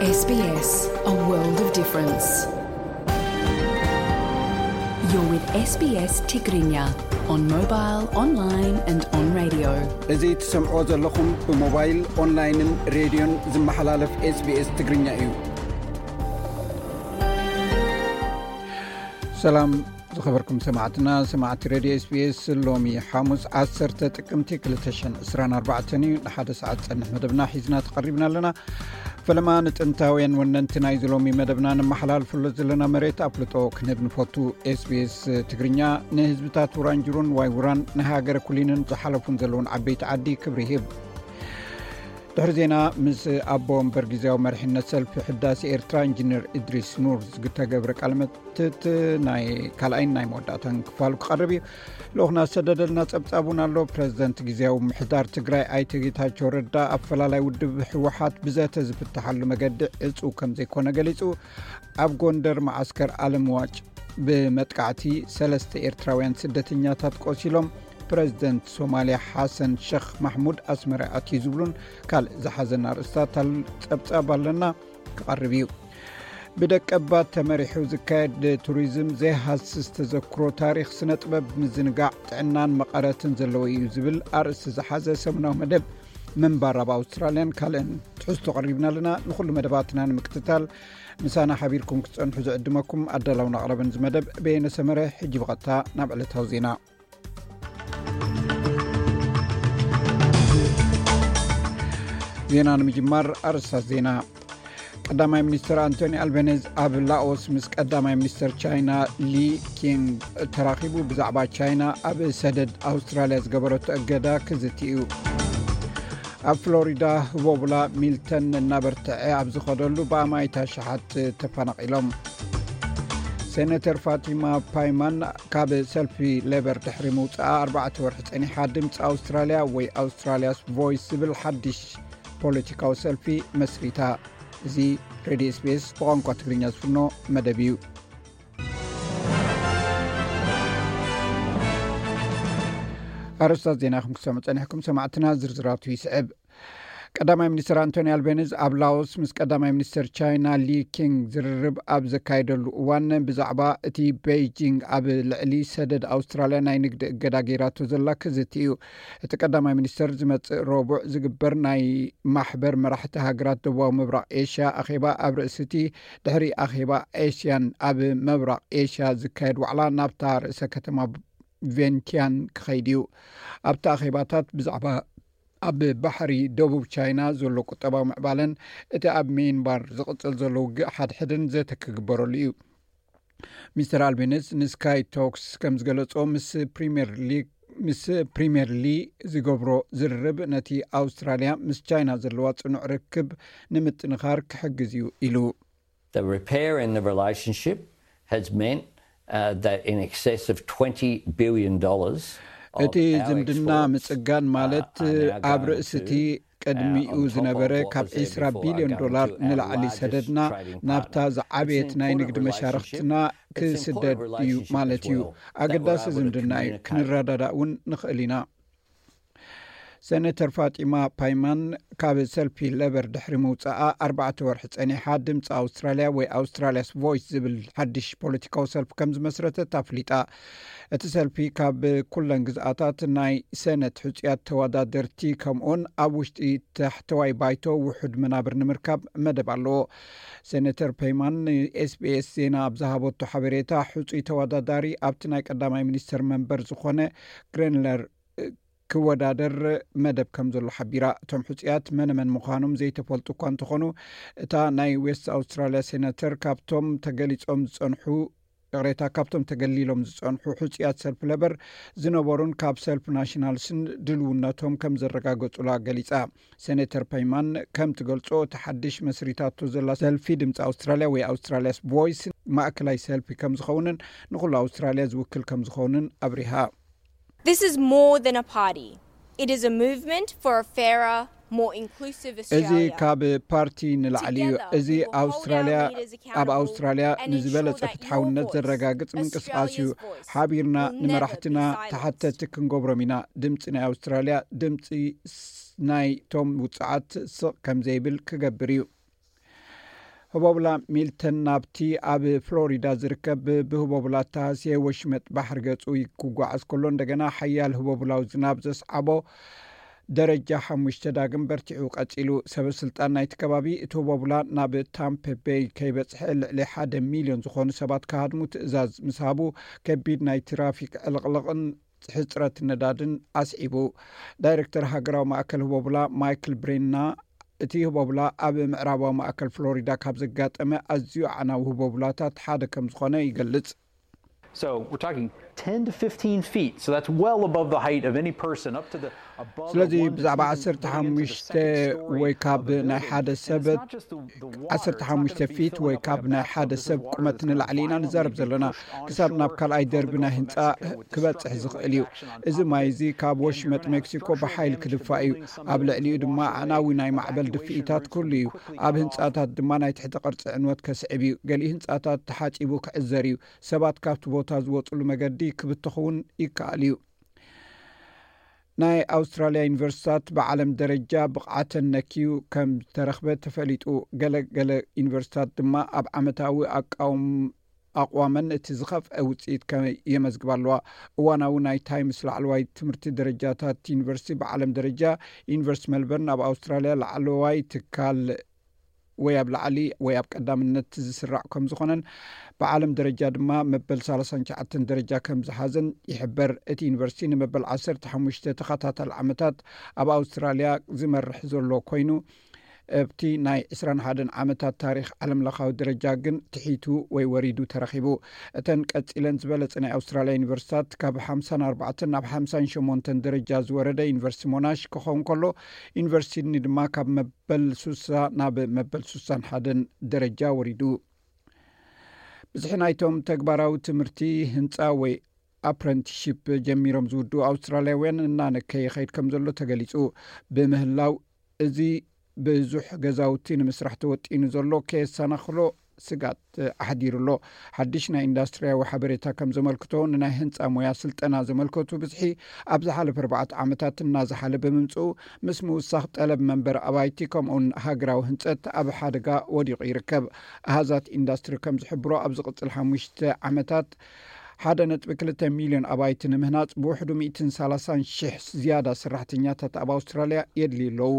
S B S, a world of difference. You're with S B S Tigrinya on mobile, online and on radio. እዚ ትሰምዖ ዘለኹም ብሞባይል፣ ኦንላይንን ሬድዮን ዝመሓላለፍ S B S ትግርኛ እዩ። ሰላም ዝኸበርኩም ሰማዕትና፣ ሰማዕቲ ሬድዮ S B S፣ ሎሚ ሓሙስ ዓሰርተ ጥቅምቲ ክልተ ሽሕን ዕስራን ኣርባዕተን እዩ። ንሓደ ሰዓት ጸንሕ መደብና ሒዝና ተቐሪብና ኣለና። ፈለማ ንጥንታውያን ወነንቲ ናይዚ ሎሚ መደብና ነመሓላልፈሉ ዘለና መሬት ኣፍልጦ ክንህብ ንፈቱ። S B S ትግርኛ ንህዝብታት ውራንጅሩን ዋይ ውራን፣ ንሃገረ ኩሊንን ዝሓለፉን ዘለውን ዓበይቲ ዓዲ ክብሪ ይህብ። ድሕሪ ዜና ምስ ኣቦ ወንበር ግዜያዊ መሪሕነት ሰልፊ ሕዳሴ ኤርትራ ኢንጂነር እድሪስ ኑር ዝተገብረ ቃለ መትት ናይ ካልኣይን ናይ መወዳእታን ክፋሉ ክቐርብ እዩ። ልኡኽና ዝሰደደልና ጸብጻብ እውን ኣሎ። ፕረዚደንት ግዜያዊ ምምሕዳር ትግራይ ኣይተ ጌታቸው ረዳ ኣፈላላይ ውድብ ህወሓት ብዘተ ዝፍትሓሉ መገዲ ዕጹው ከም ዘይኮነ ገሊጹ። ኣብ ጎንደር መዓስከር ኣለምዋጭ ብመጥቃዕቲ ሰለስተ ኤርትራውያን ስደተኛታት ቆሲሎም። ፕረዚደንት ሶማልያ ሓሰን ሸኽ ማሕሙድ ኣስመራ ኣትዩ ዝብሉን ካልእ ዝሓዘና ኣርእስታት ጸብጻብ ኣለና ክቐርብ እዩ። ብደቀባት ተመሪሑ ዝካየድ ቱሪዝም ዘይሃስስ ተዘክሮ ታሪኽ፣ ስነ ጥበብ፣ ምዝንጋዕ፣ ጥዕናን መቐረትን ዘለዎ እዩ ዝብል ኣርእስቲ ዝሓዘ ሰሙናዊ መደብ ምንባር ኣብ ኣውስትራልያን ካልእን ትሕዝቶ ቀሪብና ኣለና። ንኹሉ መደባትና ንምክትታል ምሳና ሓቢርኩም ክትጸንሑ ዝዕድመኩም ኣዳላውን ኣቕረብን እዚ መደብ በየነ ሰመረ። ሕጂ ብቐጥታ ናብ ዕለታዊ ዜና። ዜና ንምጅማር ኣርእስታት ዜና። ቀዳማይ ሚኒስትር ኣንቶኒ ኣልበኔዝ ኣብ ላኦስ ምስ ቀዳማይ ሚኒስትር ቻይና ሊ ኪንግ ተራኺቡ ብዛዕባ ቻይና ኣብ ሰደድ ኣውስትራልያ ዝገበረቶ እገዳ ክዝቲ እዩ። ኣብ ፍሎሪዳ ህቦብላ ሚልተን እናበርትዐ ኣብ ዝኸደሉ ብኣማኢት ኣሽሓት ተፈናቒሎም። ሴኔተር ፋቲማ ፓይማን ካብ ሰልፊ ሌበር ድሕሪ ምውፅኣ ኣርባዕተ ወርሒ ጸኒሓ ድምፂ ኣውስትራልያ ወይ ኣውስትራልያስ ቮይስ ዝብል ሓድሽ ፖለቲካዊ ሰልፊ መስሪታ። እዚ ሬድዮ S B S ብቋንቋ ትግርኛ ዝፍኖ መደብ እዩ። ኣርእስታት ዜና ከም ክሰሙ ጸኒሕኩም ሰማዕትና፣ ዝርዝራቱ ይስዕብ። ቀዳማይ ሚኒስትር ኣንቶኒ ኣልቤኒዝ ኣብ ላኦስ ምስ ቀዳማይ ሚኒስትር ቻይና ሊ ኪንግ ዝርርብ ኣብ ዘካየደሉ እዋን፣ ብዛዕባ እቲ ቤይጂንግ ኣብ ልዕሊ ሰደድ ኣውስትራልያ ናይ ንግዲ እገዳ ገይራቶ ዘላ ክዝቲ እዩ። እቲ ቀዳማይ ሚኒስትር ዝመጽእ ረቡዕ ዝግበር ናይ ማሕበር መራሕቲ ሃገራት ደቡባዊ ምብራቕ ኤሽያ ኣኼባ ኣብ ርእሲ እቲ ድሕሪ ኣኼባ ኤሽያን ኣብ ምብራቕ ኤሽያ ዝካየድ ዋዕላ ናብታ ርእሰ ከተማ ቬንቲያን ክኸይድ እዩ። ኣብቲ ኣኼባታት ብዛዕባ ኣብ ባሕሪ ደቡብ ቻይና ዘሎ ቁጠባዊ ምዕባለን እቲ ኣብ ሚንባር ዝቕጽል ዘሎ ውግእ ሓድሕድን ዘተ ክግበረሉ እዩ። ሚስተር ኣልቤኒዝ ንስካይ ቶክስ ከም ዝገለጾ፣ ምስ ፕሪምየር ሊግ ምስ ፕሪምየር ሊ ዝገብሮ ዝርርብ ነቲ ኣውስትራልያ ምስ ቻይና ዘለዋ ጽኑዕ ርክብ ንምጥንኻር ክሕግዝ እዩ ኢሉ። The repair in the relationship has meant uh, that in excess of twenty billion dollars of እቲ our ዝምድና exports, ምጽጋን uh, ማለት are now ኣብ going ርእሲ to, እቲ ቅድሚኡ uh, on top ዝነበረ of what ካብ was there ዒስራ before, ቢልዮን are going ዶላር to our ንላዕሊ largest ሰደድና trading ናብታ partner. It's ዝዓበየት an ናይ important ንግዲ relationship. መሻርኽትና It's an ክስደድ important እዩ relationship ማለት as እዩ። well. That way ኣገዳሲ I would have ዝምድና እዩ። Communicated. ክንረዳዳእ እውን ንኽእል ኢና። ሴኔተር ፋጢማ ፓይማን ካብ ሰልፊ ሌበር ድሕሪ ምውጻኣ ኣርባዕተ ወርሒ ጸኒሓ ድምፂ ኣውስትራልያ ወይ ኣውስትራልያስ ቮይስ ዝብል ሓድሽ ፖለቲካዊ ሰልፊ ከም ዝመስረተት ኣፍሊጣ። እቲ ሰልፊ ካብ ኩለን ግዝኣታት ናይ ሰነት ሕጹያት ተወዳደርቲ ከምኡውን ኣብ ውሽጢ ታሕተዋይ ባይቶ ውሑድ መናብር ንምርካብ መደብ ኣለዎ። ሴኔተር ፔይማን ን S B S ዜና ኣብ ዝሃበቶ ሓበሬታ፣ ሕጹይ ተወዳዳሪ ኣብቲ ናይ ቀዳማይ ሚኒስተር መንበር ዝኾነ ግሬንለር ክወዳደር መደብ ከም ዘሎ ሓቢራ። እቶም ሕጹያት መነመን ምዃኖም ዘይተፈልጡ እኳ እንተኾኑ፣ እታ ናይ ዌስት ኣውስትራልያ ሴናተር ካብቶም ተገሊጾም ዝጸንሑ፣ ይቕሬታ፣ ካብቶም ተገሊሎም ዝጸንሑ ሕጹያት ሰልፊ ሌበር ዝነበሩን ካብ ሰልፊ ናሽናልስን ድልውነቶም ከም ዘረጋገጹላ ገሊጻ። ሴኔተር ፔይማን ከም ትገልጾ፣ እቲ ሓድሽ መስሪታቶ ዘላ ሰልፊ ድምጺ ኣውስትራልያ ወይ ኣውስትራልያስ ቮይስ ማእከላይ ሰልፊ ከም ዝኸውንን ንኹሉ ኣውስትራልያ ዝውክል ከም ዝኸውንን ኣብሪሃ። This is more than a party. It is a movement for a fairer, more inclusive እዚ Australia. ካብ ፓርቲ ንላዕሊ እዩ። Together, እዚ we will hold ኣውስትራልያ፣ our leaders ኣብ accountable ኣውስትራልያ and ensure ንዝበለጸ that ፍትሓውነት your voice, ዘረጋግጽ ምንቅስቓስ እዩ። Australia's voice ሓቢርና will never ንመራሕትና be silenced. ተሓተቲ ክንገብሮም ኢና። ድምፂ ናይ ኣውስትራልያ፣ ድምፂ ስ-፣ ናይቶም ውፅዓት ስቕ ከም ዘይብል ክገብር እዩ። ህቦብላ ሚልተን ናብቲ ኣብ ፍሎሪዳ ዝርከብ ብህቦብላ ተሃስየ ወሽመጥ ባሕሪ ገጹ ክጓዓዝ ከሎ፣ እንደገና ሓያል ህቦብላዊ ዝናብ ዘስዓቦ ደረጃ ሓሙሽተ ዳግም በርቲዑ ቀጺሉ። ሰበ ስልጣን ናይቲ ከባቢ፣ እቲ ህቦብላ ናብ ታምፐ ቤይ ከይበጽሐ ልዕሊ ሓደ ሚልዮን ዝኾኑ ሰባት ክሃድሙ ትእዛዝ ምስ ሃቡ፣ ከቢድ ናይ ትራፊክ ዕልቕልቕን ሕጽረት ነዳድን ኣስዒቡ። ዳይሬክተር ሃገራዊ ማእከል ህቦብላ ማይክል ብሬና፣ እቲ ህቦብላ ኣብ ምዕራባዊ ማእከል ፍሎሪዳ ካብ ዘጋጠመ ኣዝዩ ኣዕናዊ ህቦብላታት ሓደ ከም ዝኾነ ይገልጽ። So we're talking ten to fifteen feet. So that's well above the height of any person, up to the above ስለዚ ብዛዕባ ዓሰርተ ሓሙሽተ ወይ ካብ ናይ ሓደ ሰብ ዓሰርተ ሓሙሽተ ፊት ወይ ካብ ናይ ሓደ ሰብ ቁመት ንላዕሊ ኢና ንዛረብ ዘለና። ክሳብ ናብ ካልኣይ ደርቢ ናይ ህንፃ ክበፅሕ ዝኽእል እዩ። እዚ ማይ እዚ ካብ ወሽመጥ ሜክሲኮ ብሓይል ክድፋእ እዩ። ኣብ ልዕሊኡ ድማ ኣዕናዊ ናይ ማዕበል ድፍኢታት ክህሉ እዩ። ኣብ ህንፃታት ድማ ናይ ትሕቲ ቅርፂ ዕንወት ከስዕብ እዩ። ገሊኡ ህንፃታት ተሓፂቡ ክዕዘር እዩ። ሰባት ካብቲ ቦታ ዝወፅሉ መገዲ ክብተኽ እውን ይከኣል እዩ። ናይ ኣውስትራልያ ዩኒቨርሲታት ብዓለም ደረጃ ብቕዓተን ነክዩ ከም ዝተረኽበ ተፈሊጡ። ገለ ገለ ዩኒቨርሲታት ድማ ኣብ ዓመታዊ ኣቃውም ኣቕዋመን እቲ ዝኸፍአ ውፅኢት ከ የመዝግባ ኣለዋ። እዋናዊ ናይ ታይምስ ላዕለዋይ ትምህርቲ ደረጃታት ዩኒቨርሲቲ ብዓለም ደረጃ፣ ዩኒቨርሲቲ ሜልበርን ኣብ ኣውስትራልያ ላዕለዋይ ትካል ወይ ኣብ ላዕሊ ወይ ኣብ ቀዳምነት ዝስራዕ ከም ዝኾነን ብዓለም ደረጃ ድማ መበል ሰላሳን ትሽዓተን ደረጃ ከም ዝሓዘን ይሕበር። እቲ ዩኒቨርሲቲ ንመበል ዓሰርተ ሓሙሽተ ተኸታታሊ ዓመታት ኣብ ኣውስትራልያ ዝመርሕ ዘሎ ኮይኑ፣ ኣብቲ ናይ ዕስራን ሓደን ዓመታት ታሪኽ ዓለምለኻዊ ደረጃ ግን ትሒቱ ወይ ወሪዱ ተረኺቡ። እተን ቀጺለን ዝበለጸ ናይ ኣውስትራልያ ዩኒቨርሲታት ካብ ሓምሳን ኣርባዕተን ናብ ሓምሳን ሸሞንተን ደረጃ ዝወረደ ዩኒቨርሲቲ ሞናሽ ክኸውን ከሎ፣ ዩኒቨርሲቲ ሲድኒ ድማ ካብ መበል ሱሳ ናብ መበል ሱሳን ሓደን ደረጃ ወሪዱ። ብዝሒ ናይቶም ተግባራዊ ትምህርቲ ህንጻ ወይ ኣፕረንቲሺፕ ጀሚሮም ዝውድኡ ኣውስትራልያውያን እናነከየ ይኸይድ ከም ዘሎ ተገሊጹ ብምህላው፣ እዚ ብዙሕ ገዛውቲ ንምስራሕ ተወጢኑ ዘሎ ከየሰናኽሎ ስጋት ኣሕዲሩ ኣሎ። ሓድሽ ናይ ኢንዱስትሪያዊ ሓበሬታ ከም ዘመልክቶ፣ ንናይ ህንጻ ሞያ ስልጠና ዘመልከቱ ብዝሒ ኣብ ዝሓለፈ ኣርባዕተ ዓመታት እናዝሓለ ብምምጽኡ፣ ምስ ምውሳኽ ጠለብ መንበሪ ኣባይቲ ከምኡውን ሃገራዊ ህንጸት ኣብ ሓደጋ ወዲቑ ይርከብ። ኣሃዛት ኢንዱስትሪ ከም ዝሕብሮ፣ ኣብ ዝቕጽል ሓሙሽተ ዓመታት ሓደ ነጥቢ ክልተ ሚልዮን ኣባይቲ ንምህናጽ ብውሕዱ ሚእትን ሰላሳን ሽሕ ዝያዳ ሰራሕተኛታት ኣብ ኣውስትራልያ የድልዩ ኣለዉ።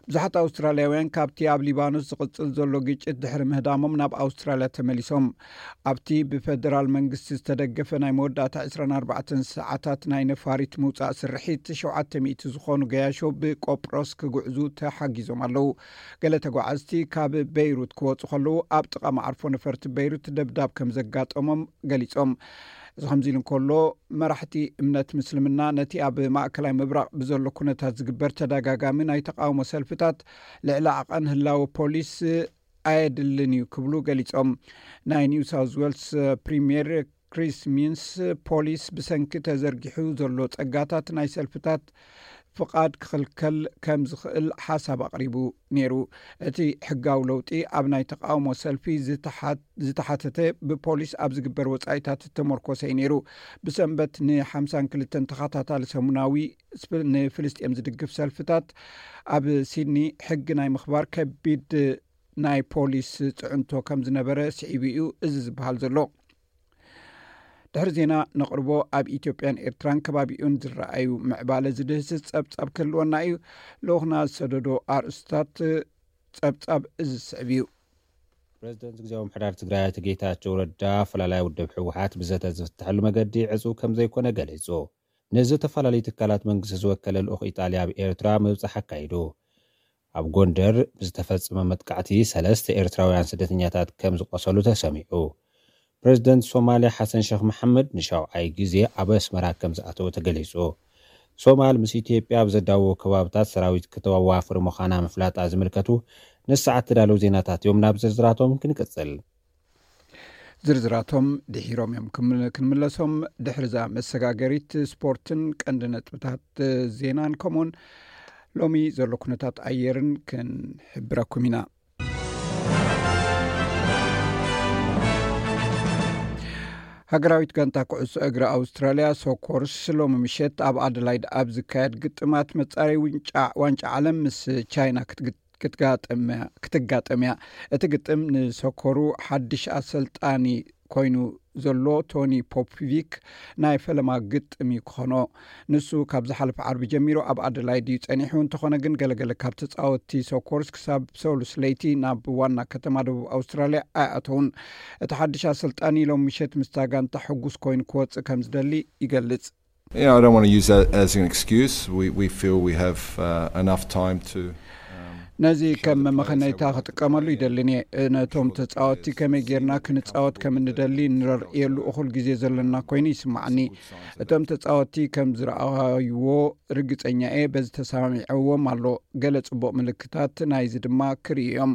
ብዙሓት ኣውስትራልያውያን ካብቲ ኣብ ሊባኖስ ዝቕጽል ዘሎ ግጭት ድሕሪ ምህዳሞም ናብ ኣውስትራልያ ተመሊሶም። ኣብቲ ብፈደራል መንግስቲ ዝተደገፈ ናይ መወዳእታ ዕስራን ኣርባዕተን ሰዓታት ናይ ነፋሪት ምውጻእ ስርሒት፣ ሸውዓተ ሚእቲ ዝኾኑ ገያሾ ብቆጵሮስ ክጉዕዙ ተሓጊዞም ኣለዉ። ገለ ተጓዓዝቲ ካብ በይሩት ክወጹ ከለዉ፣ ኣብ ጥቓ መዓርፎ ነፈርቲ በይሩት ደብዳብ ከም ዘጋጠሞም ገሊጾም። እዚ ከምዚ ኢሉ እንከሎ፣ መራሕቲ እምነት ምስልምና ነቲ ኣብ ማእከላይ ምብራቕ ብዘሎ ኩነታት ዝግበር ተደጋጋሚ ናይ ተቃውሞ ሰልፍታት ልዕሊ ዓቐን ህላወ ፖሊስ ኣየድልን እዩ ክብሉ ገሊጾም። ናይ ኒው ሳውዝ ዌልስ ፕሪምየር ክሪስ ሚንስ፣ ፖሊስ ብሰንኪ ተዘርጊሑ ዘሎ ጸጋታት ናይ ሰልፍታት ፍቓድ ክኽልከል ከም ዝኽእል ሓሳብ ኣቕሪቡ ነይሩ። እቲ ሕጋዊ ለውጢ ኣብ ናይ ተቃውሞ ሰልፊ ዝተሓ-፣ ዝተሓተተ ብፖሊስ ኣብ ዝግበር ወጻኢታት እተመርኮሰ እዩ ነይሩ። ብሰንበት ንሓምሳን ክልተን ተኸታታሊ ሰሙናዊ ስፕ-፣ ንፍልስጤም ዝድግፍ ሰልፍታት ኣብ ሲድኒ ሕጊ ናይ ምኽባር ከቢድ ናይ ፖሊስ ጽዕንቶ ከም ዝነበረ ስዒቡ እዩ እዚ ዝበሃል ዘሎ። ድሕሪ ዜና ነቕርቦ ኣብ ኢትዮጵያን ኤርትራን ከባቢኡን ዝረኣዩ ምዕባለ ዝድህስስ ጸብጻብ ክህልወና እዩ። ልኡኽና ዝሰደዶ ኣርእስታት ጸብጻብ እዚ ዝስዕብ እዩ። ፕሬዚደንት ግዜያዊ ምምሕዳር ትግራይ ኣቶ ጌታቸው ረዳ፣ ኣፈላላይ ውድብ ህወሓት ብዘተ ዝፍትሐሉ መገዲ ዕፁው ከም ዘይኮነ ገሊፁ። ንዝተፈላለዩ ትካላት መንግስቲ ዝወከለ ልኡኽ ኢጣልያ ኣብ ኤርትራ ምብጻሕ ኣካይዱ። ኣብ ጎንደር ብዝተፈጸመ መጥቃዕቲ ሰለስተ ኤርትራውያን ስደተኛታት ከም ዝቆሰሉ ተሰሚዑ። ፕሬዚደንት ሶማልያ ሓሰን ሸኽ መሓመድ ንሻውዓይ ግዜ ኣብ ኣስመራ ከም ዝኣተወ ተገሊጹ። ሶማል ምስ ኢትዮጵያ ኣብ ዘዳውቡ ከባብታት ሰራዊት ክተዋፍር ምዃና ምፍላጣ ዝምልከቱ ንሰዓት ተዳለዉ ዜናታት እዮም። ናብ ዝርዝራቶም ክንቅጽል። ዝርዝራቶም ድሒሮም እዮም ክም-፣ ክንምለሶም። ድሕርዛ መሰጋገሪት ስፖርትን ቀንዲ ነጥብታት ዜናን ከምኡውን ሎሚ ዘሎ ኩነታት ኣየርን ክንሕብረኩም ኢና። ሃገራዊት ጋንታ ኩዕሶ እግሪ ኣውስትራልያ ሶኮርስ ሎሚ ምሸት ኣብ ኣደላይድ ኣብ ዝካየድ ግጥማት መጻረይ ውንጫ-፣ ዋንጫ ዓለም ምስ ቻይና ክትግ-፣ ክትጋጠም ክትጋጠም እያ። እቲ ግጥም ንሰኮሩ ሓድሽ ኣሰልጣኒ ኮይኑ ዘሎ ቶኒ ፖፕቪክ ናይ ፈለማ ግጥም እዩ ክኾኖ። ንሱ ካብ ዝሓለፈ ዓርቢ ጀሚሩ ኣብ ኣደላይድ እዩ ጸኒሑ። እንተኾነ ግን ገለገለ ካብ ተጻወትቲ ሶኮርስ ክሳብ ሰሉስ ለይቲ ናብ ዋና ከተማ ደቡብ ኣውስትራልያ ኣይኣተውን። እቲ ሓድሽ ኣሰልጣኒ ሎም ምሸት ምስታ ጋንታ ሕጉስ ኮይኑ ክወጽእ ከም ዝደሊ ይገልጽ። Yeah, I don't want to use that as an excuse. We, we feel we have uh, enough time to. ነዚ ከም መመኸነይታ ክጥቀመሉ ይደልን እየ። ነቶም ተጻወትቲ ከመይ ጌርና ክንጻወት ከም እንደሊ ንረርእየሉ እኹል ግዜ ዘለና ኮይኑ ይስማዓኒ። እቶም ተጻወትቲ ከም ዝረኣይዎ ርግጸኛ እየ። በዚ ተሰማሚዐዎም ኣሎ። ገለ ጽቡቕ ምልክታት ናይዚ ድማ ክርእዩ እዮም።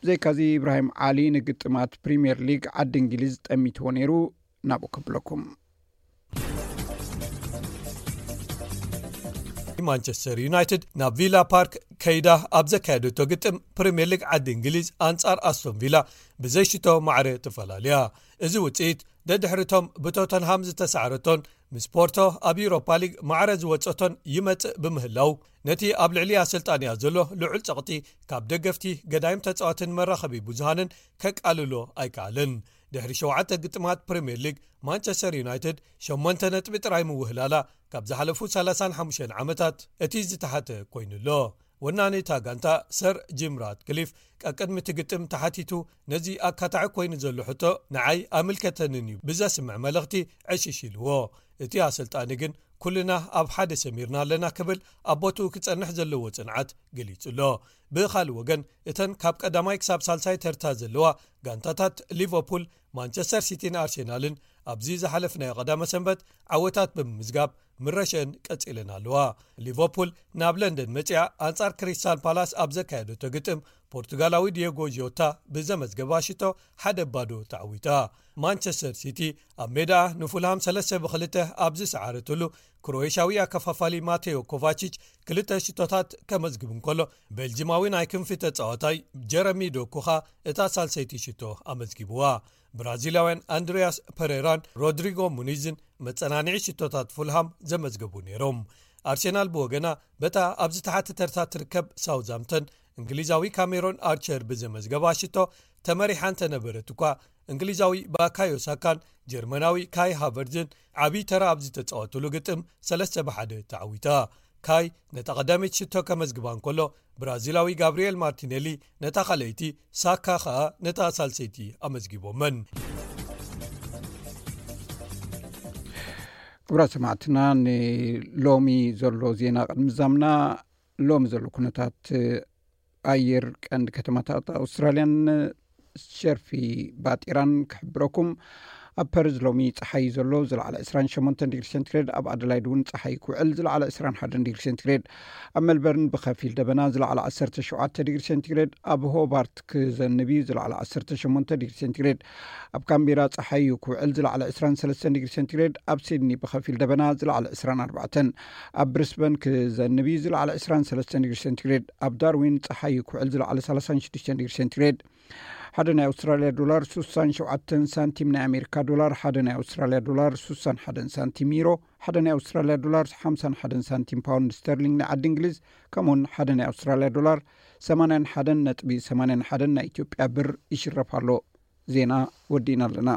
ብዘይካዚ ኢብራሂም ዓሊ ንግጥማት ፕሪምየር ሊግ ዓዲ እንግሊዝ ጠሚትዎ ነይሩ። ናብኡ ከብለኩም። ማንቸስተር ዩናይትድ ናብ ቪላ ፓርክ ከይዳ ኣብ ዘካየደቶ ግጥም ፕሪምየር ሊግ ዓዲ እንግሊዝ ኣንጻር ኣስቶን ቪላ ብዘይሽቶ ማዕረ ተፈላልያ። እዚ ውፅኢት ደድሕሪቶም ብቶተንሃም ዝተሳዕረቶን ምስ ፖርቶ ኣብ ዩሮፓ ሊግ ማዕረ ዝወፀቶን ይመፅእ ብምህላው ነቲ ኣብ ልዕሊ ኣሰልጣንያ ዘሎ ልዑል ፀቕጢ ካብ ደገፍቲ ገዳይም ተፃዋትን መራኸቢ ብዙሃንን ከቃልሎ ኣይከኣልን። ድሕሪ ሸውዓተ ግጥማት ፕሪምየር ሊግ ማንቸስተር ዩናይትድ ሸሞንተ ነጥቢ ጥራይ ምውህላላ ካብ ዝሓለፉ ሰላሳን ሓሙሽተን ዓመታት እቲ ዝተሓተ ኮይኑሎ። ወናኒ እታ ጋንታ ሰር ጂም ራትክሊፍ ቀቅድሚ እቲ ግጥም ተሓቲቱ ነዚ ኣካታዒ ኮይኑ ዘሎ ሕቶ ንዓይ ኣምልከተንን እዩ ብዘስምዕ መልእኽቲ ዕሽሽ ኢልዎ። እቲ ኣሰልጣኒ ግን ኩልና ኣብ ሓደ ሰሚርና ኣለና ክብል ኣብ ቦትኡ ክጸንሕ ዘለዎ ጽንዓት ገሊጹ ኣሎ። ብኻልእ ወገን እተን ካብ ቀዳማይ ክሳብ ሳልሳይ ተርታ ዘለዋ ጋንታታት ሊቨርፑል፣ ማንቸስተር ሲቲን ኣርሴናልን ኣብዚ ዝሓለፍናዮ ቀዳመ ሰንበት ዓወታት ብምምዝጋብ ምረሸን ቀጺለን ኣለዋ። ሊቨርፑል ናብ ለንደን መጺኣ ኣንጻር ክሪስታል ፓላስ ኣብ ዘካየደቶ ግጥም ፖርቱጋላዊ ዲየጎ ጆታ ብዘመዝገባ ሽቶ ሓደ ባዶ ተዓዊታ። ማንቸስተር ሲቲ ኣብ ሜዳ ንፉልሃም ሰለስተ ብክልተ ኣብ ዝሰዓረትሉ ክሮኤሽያዊ ኣከፋፋሊ ማቴዮ ኮቫቺች ክልተ ሽቶታት ከመዝግብ እንከሎ ቤልጂማዊ ናይ ክንፊ ተጻዋታይ ጀረሚ ዶኩኻ እታ ሳልሰይቲ ሽቶ ኣመዝጊብዋ። ብራዚላውያን ኣንድሪያስ ፐሬራን ሮድሪጎ ሙኒዝን መጸናንዒ ሽቶታት ፉልሃም ዘመዝገቡ ነይሮም። ኣርሴናል ብወገና በታ ኣብ ዝተሓተ ተርታ ትርከብ ሳውዛምተን እንግሊዛዊ ካሜሮን ኣርቸር ብዘመዝገባ ሽቶ ተመሪሓ እንተነበረት እኳ እንግሊዛዊ ባካዮ ሳካን ጀርመናዊ ካይ ሃቨርዝን ዓብዪ ተራ ኣብ ዝተጻወቱሉ ግጥም ሰለስተ ብሓደ ተዓዊታ። ካይ ነታ ቀዳመይቲ ሽቶ ከመዝግባ እንከሎ ብራዚላዊ ጋብሪኤል ማርቲኔሊ ነታ ካልኣይቲ፣ ሳካ ኸኣ ነታ ሳልሰይቲ ኣመዝጊቦመን። ክቡራት ሰማዕትና ንሎሚ ዘሎ ዜና ቅድሚ ዛምና ሎሚ ዘሎ ኩነታት ኣየር ቀንዲ ከተማታት ኣውስትራልያን ሸርፊ ባጢራን ክሕብረኩም። ኣብ ፐርዝ ሎሚ ፀሓይ ዘሎ ዝለዓለ ዕስራን ሸሞንተን ዲግሪ ሴንቲግሬድ፣ ኣብ ኣደላይድ እውን ፀሓይ ክውዕል ዝለዓለ ዕስራን ሓደን ዲግሪ ሴንቲግሬድ፣ ኣብ ሜልበርን ብኸፊል ደበና ዝለዓለ ዓሰርተ ሸውዓተ ዲግሪ ሴንቲግሬድ፣ ኣብ ሆባርት ክዘንብ እዩ ዝለዓለ ዓሰርተ ሸሞንተ ዲግሪ ሴንቲግሬድ፣ ኣብ ካምቤራ ፀሓይ እዩ ክውዕል ዝለዓለ ዕስራን ሰለስተን ዲግሪ ሴንቲግሬድ፣ ኣብ ሲድኒ ብኸፊል ደበና ዝለዓለ ዕስራን ኣርባዕተን፣ ኣብ ብሪስበን ክዘንብ እዩ ዝለዓለ ዕስራን ሰለስተን ዲግሪ ሴንቲግሬድ፣ ኣብ ዳርዊን ፀሓይ እዩ ክውዕል ዝለዓለ ሰላሳን ሽዱሽተን ዲግሪ ሴንቲግሬድ። ሓደ ናይ ኣውስትራልያ ዶላር ሱሳን ሸውዓተን ሳንቲም፣ ናይ ኣሜሪካ ዶላር ሓደ ናይ ኣውስትራልያ ዶላር ሱሳን ሓደን ሳንቲም፣ ዩሮ ሓደ ናይ ኣውስትራልያ ዶላር ሓምሳን ሓደን ሳንቲም፣ ፓውንድ ስተርሊንግ ናይ ዓዲ እንግሊዝ ከምኡውን ሓደ ናይ ኣውስትራልያ ዶላር ሰማንያን ሓደን ነጥቢ ሰማንያን ሓደን ናይ ኢትዮጵያ ብር ይሽረፍ ኣሎ። ዜና ወዲእና ኣለና።